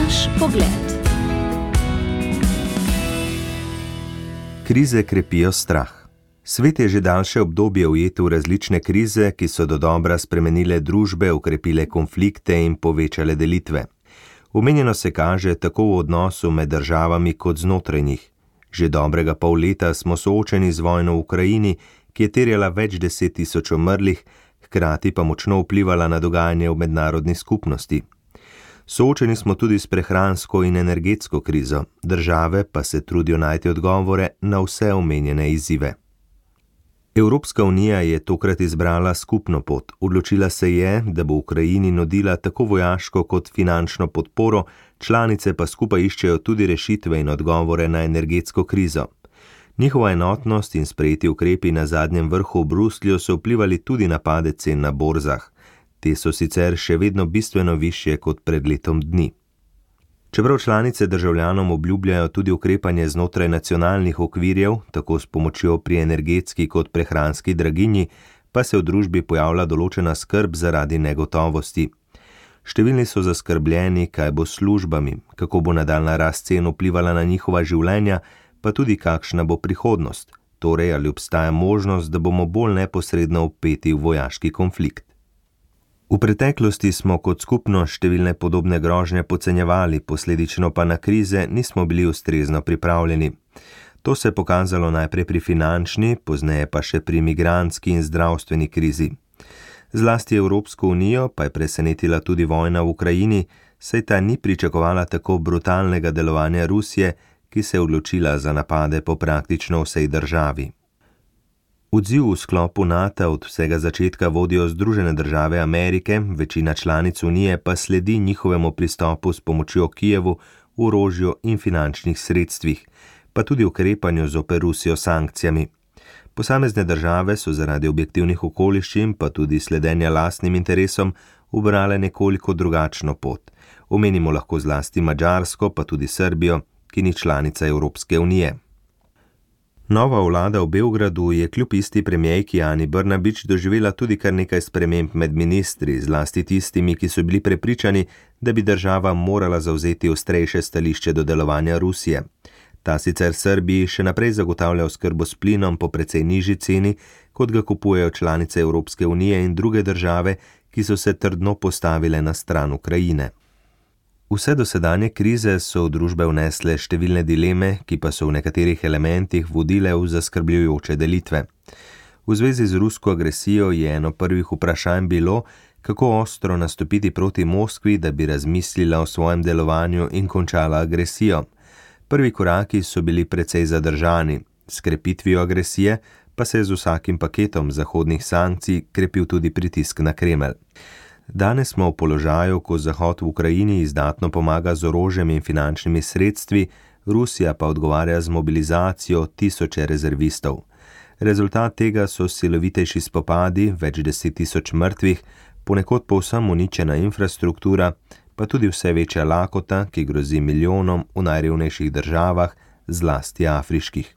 Naš pogled. Krize krepijo strah. Svet je že daljše obdobje ujet v različne krize, ki so dodobra spremenile družbe, okrepile konflikte in povečale delitve. Omenjeno se kaže tako v odnosu med državami kot znotraj njih. Že dobrega pol leta smo soočeni z vojno v Ukrajini, ki je terjala več 10 tisoč umrlih, hkrati pa močno vplivala na dogajanje v mednarodni skupnosti. Soočeni smo tudi s prehransko in energetsko krizo, države pa se trudijo najti odgovore na vse omenjene izzive. Evropska unija je tokrat izbrala skupno pot. Odločila se je, da bo Ukrajini nudila tako vojaško kot finančno podporo, članice pa skupaj iščejo tudi rešitve in odgovore na energetsko krizo. Njihova enotnost in sprejeti ukrepi na zadnjem vrhu v Bruslju so vplivali tudi na padec cen na borzah. Te so sicer še vedno bistveno višje kot pred letom dni. Čeprav članice državljanom obljubljajo tudi ukrepanje znotraj nacionalnih okvirjev, tako s pomočjo pri energetski kot prehranski draginji, pa se v družbi pojavlja določena skrb zaradi negotovosti. Številni so zaskrbljeni, kaj bo s službami, kako bo nadaljnja rast cen vplivala na njihova življenja, pa tudi kakšna bo prihodnost, torej ali obstaja možnost, da bomo bolj neposredno vpeti v vojaški konflikt. V preteklosti smo kot skupnost številne podobne grožnje podcenjevali, posledično pa na krize nismo bili ustrezno pripravljeni. To se je pokazalo najprej pri finančni, pozneje pa še pri migrantski in zdravstveni krizi. Zlasti Evropsko unijo pa je presenetila tudi vojna v Ukrajini, saj ta ni pričakovala tako brutalnega delovanja Rusije, ki se je odločila za napade po praktično vsej državi. Odziv v sklopu NATO od vsega začetka vodijo Združene države Amerike, večina članic Unije pa sledi njihovemu pristopu s pomočjo Kijevu, orožju in finančnih sredstvih, pa tudi ukrepanju zoper Rusijo s sankcijami. Posamezne države so zaradi objektivnih okoliščin, pa tudi sledenja lastnim interesom, ubrale nekoliko drugačno pot. Omenimo lahko zlasti Madžarsko, pa tudi Srbijo, ki ni članica Evropske unije. Nova vlada v Beogradu je kljub isti premierki Ani Brnabić doživela tudi kar nekaj sprememb med ministri, zlasti tistimi, ki so bili prepričani, da bi država morala zavzeti ostrejše stališče do delovanja Rusije. Ta sicer Srbiji še naprej zagotavlja oskrbo s plinom po precej nižji ceni, kot ga kupujejo članice Evropske unije in druge države, ki so se trdno postavile na stran Ukrajine. Vse dosedanje krize so v družbe vnesle številne dileme, ki pa so v nekaterih elementih vodile v zaskrbljujoče delitve. V zvezi z rusko agresijo je eno prvih vprašanj bilo, kako ostro nastopiti proti Moskvi, da bi razmislila o svojem delovanju in končala agresijo. Prvi koraki so bili precej zadržani. S krepitvijo agresije pa se je z vsakim paketom zahodnih sankcij krepil tudi pritisk na Kremelj. Danes smo v položaju, ko Zahod v Ukrajini izdatno pomaga z orožjem in finančnimi sredstvi, Rusija pa odgovarja z mobilizacijo tisoče rezervistov. Rezultat tega so silovitejši spopadi, več 10 tisoč mrtvih, ponekod povsem uničena infrastruktura, pa tudi vse večja lakota, ki grozi milijonom v najrevnejših državah, zlasti afriških.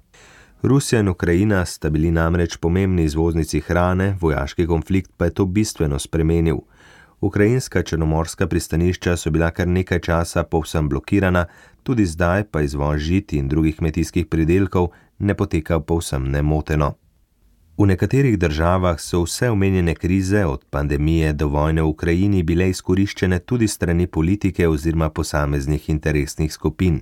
Rusija in Ukrajina sta bili namreč pomembni izvoznici hrane, vojaški konflikt pa je to bistveno spremenil. Ukrajinska črnomorska pristanišča so bila kar nekaj časa povsem blokirana, tudi zdaj pa izvoz žit in drugih kmetijskih pridelkov ne poteka povsem nemoteno. V nekaterih državah so vse omenjene krize, od pandemije do vojne v Ukrajini, bile izkoriščene tudi strani politike oziroma posameznih interesnih skupin.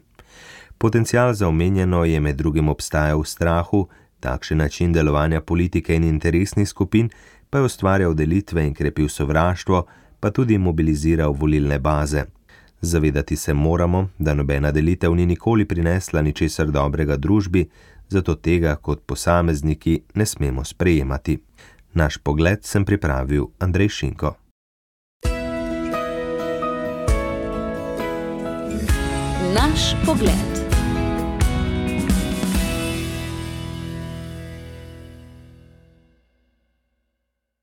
Potencial za omenjeno je med drugim obstajal v strahu, takšen način delovanja politike in interesnih skupin pa je ustvarjal delitve in krepil sovraštvo, pa tudi mobiliziral volilne baze. Zavedati se moramo, da nobena delitev ni nikoli prinesla ničesar dobrega družbi, zato tega kot posamezniki ne smemo sprejemati. Naš pogled sem pripravil Andrej Šinko. Naš pogled.